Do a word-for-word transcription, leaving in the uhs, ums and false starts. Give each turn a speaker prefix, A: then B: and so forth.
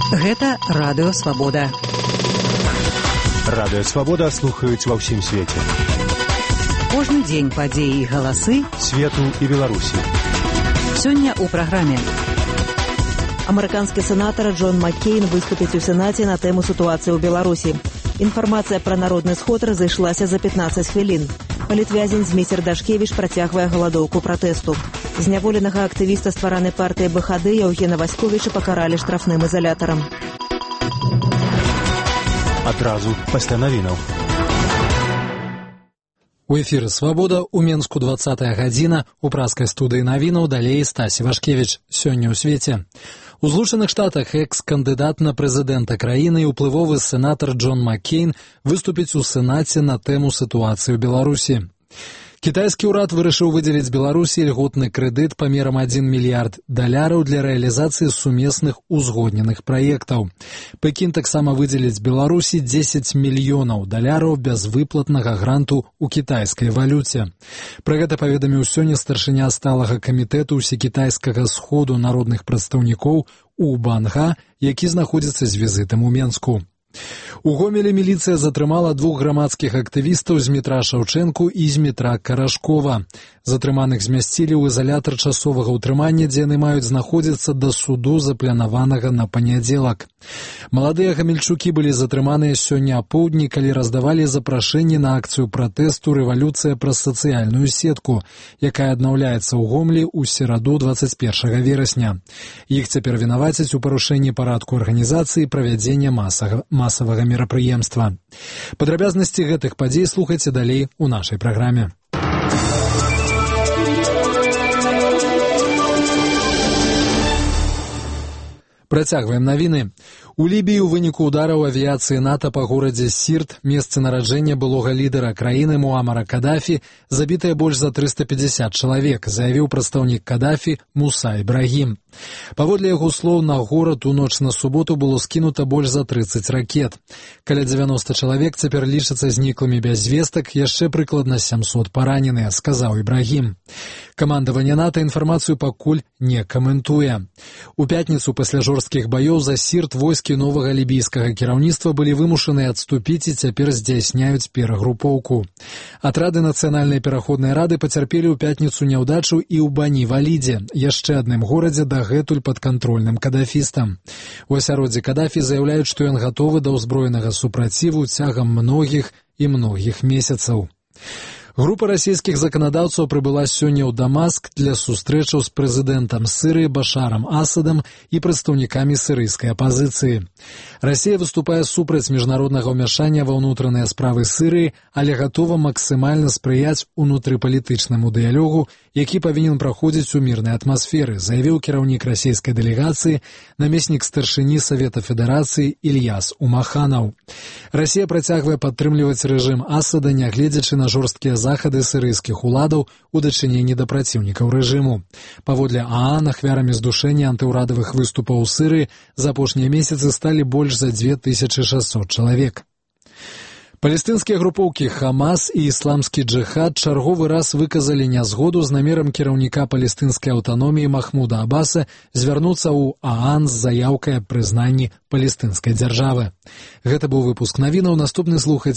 A: Гэта Радыё Свабода.
B: Радыё Свабода слухаюць ва ўсім свеце.
A: Кожны дзень падзеі і галасы
B: свету і Беларусі.
A: Сёння ў праграме.
C: Амерыканскі сенатар Джон Маккейн выступіць у Сенаце на тэму сітуацыі ў Беларусі. Інфармацыя пра народны сход разышлася за пятнаццаць хвілін. Палітвязень Зміцер Дашкевіч працягвае галадоўку пратэсту. Зняволенага актывіста ствараны партыі БХД Яўгена Васьковіча пакаралі штрафным ізалятарам.
B: Адразу пасля навінаў.
D: У эфіры «Свабода» у Менску двадцатая гадзіна, у праскай студыі навінаў далей Стасі Вашкевіч. Сёння ў свеце. У Злучаных Штатах экс-кандыдат на прэзідэнта краіны і ўплывовы сенатар Джон Маккейн выступіць у Сенаце на тэму сітуацыі ў Беларусі. Кітайскі ўрад вырашыў выдзеліць Беларусі льготны крэдыт памерам адзін мільярд даляраў для рэалізацыі сумесных узгодненых праектаў. Пекін таксама выдзеліць Беларусі дзесяць мільёнаў даляраў бязвыплатнага гранту ў кітайскай валюце. Пра гэта паведаміў сёння старшыня сталага камітэту ўсекітайскага сходу народных прадстаўнікоў У Банга, які знаходзіцца з візітам у Менску. У Гомелі міліцыя затрымала двух грамадскіх актывістаў з метра Шаўчэнку і з метра Карашкова. Затрыманых змясцілі ў ізалятар часовага ўтрымання, дзе яны маюць знаходзіцца да суду, запланаванага на панядзелак. Маладыя гамельчукі былі затрыманыя сёння апоўдні, калі раздавалі запрашэнні на акцыю пратэсту «Рэвалюцыя праз сацыяльную сетку», якая аднаўляецца ў Гомлі ў сераду дваццаць першага верасня. Іх цяпер вінавацяць у парушэнні парадку арганізацыі і правядзення масага масавага мерапрыемства. Падрабязнасці гэтых падзей слухайце далей у нашай праграме. Працягваем навіны. У Лібіі ў выніку удараў авіяцыі НАТО па горадзе Сірт, месцы нараджэння былога лідара краіны Муамара Кадафі, забітыя больш за трыста пятьдесят чалавек, заявіў прадстаўнік Кадафі Муса Ібрагім. Паводле яго слоў, на горад у ноч на суботу было скінута больш за трыццаць ракет. Каля дзевяноста чалавек цяпер лічацца зніклымі без звестак, яшчэ прыкладна сямсот параненыя, сказаў Ібрагім. Камандаванне НАТО інфармацыю пакуль не каментуе. У пятніцу пасля жорсткіх баёў за Сірт войскі новага лібійскага кіраўніцтва былі вымушаныя адступіць і цяпер здзяйсняюць перагрупоўку. Атрады нацыянальнай пераходнай рады пацярпелі ў пятніцу няўдачу і ў Бані-Валідзе, яшчэ адным горадзе дагэтуль падкантрольным кадафістам. У асяроддзі Кадафі заяўляюць, што ён гатовы да ўзброенага супраціву цягам многіх і многіх месяцаў. Група расійскіх заканадаўцаў прыбыла сёння ў Дамаск для сустрэчаў з прэзідэнтам Сырыі Башарам Асадам і прадстаўнікамі сірыйскай апазіцыі. Расія выступае супраць міжнароднага ўмяшання ва ўнутраныя справы Сырыі, але гатова максімальна спрыяць унутрыпалітычнаму дыялогу, які павінен праходзіць у мірнай атмасферы, заявіў кіраўнік расійскай дэлегацыі, намеснік старшыні Савета Федэрацыі Ільяс Умаханаў. Расія працягвае падтрымліваць рэжым Асада, нягледзячы на жорсткія захады сірыйскіх уладаў у дачыненні да праціўнікаў рэжыму. Паводле ААН, ахвярамі здушэння антыўрадавых выступаў у Сырыі за апошнія месяцы сталі больш за дзве тысячы шэсцьсот чалавек. Палестынскія групоўкі Хамас і ісламскі джыхад чарговы раз выказалі нязгоду з намерам кіраўніка палестынскай аўтаноміі Махмуда Аббаса звярнуцца ў ААН з заяўкай аб прызнанні палестынскай дзяржавы. Гэта быў выпуск навінаў, наступны слухаць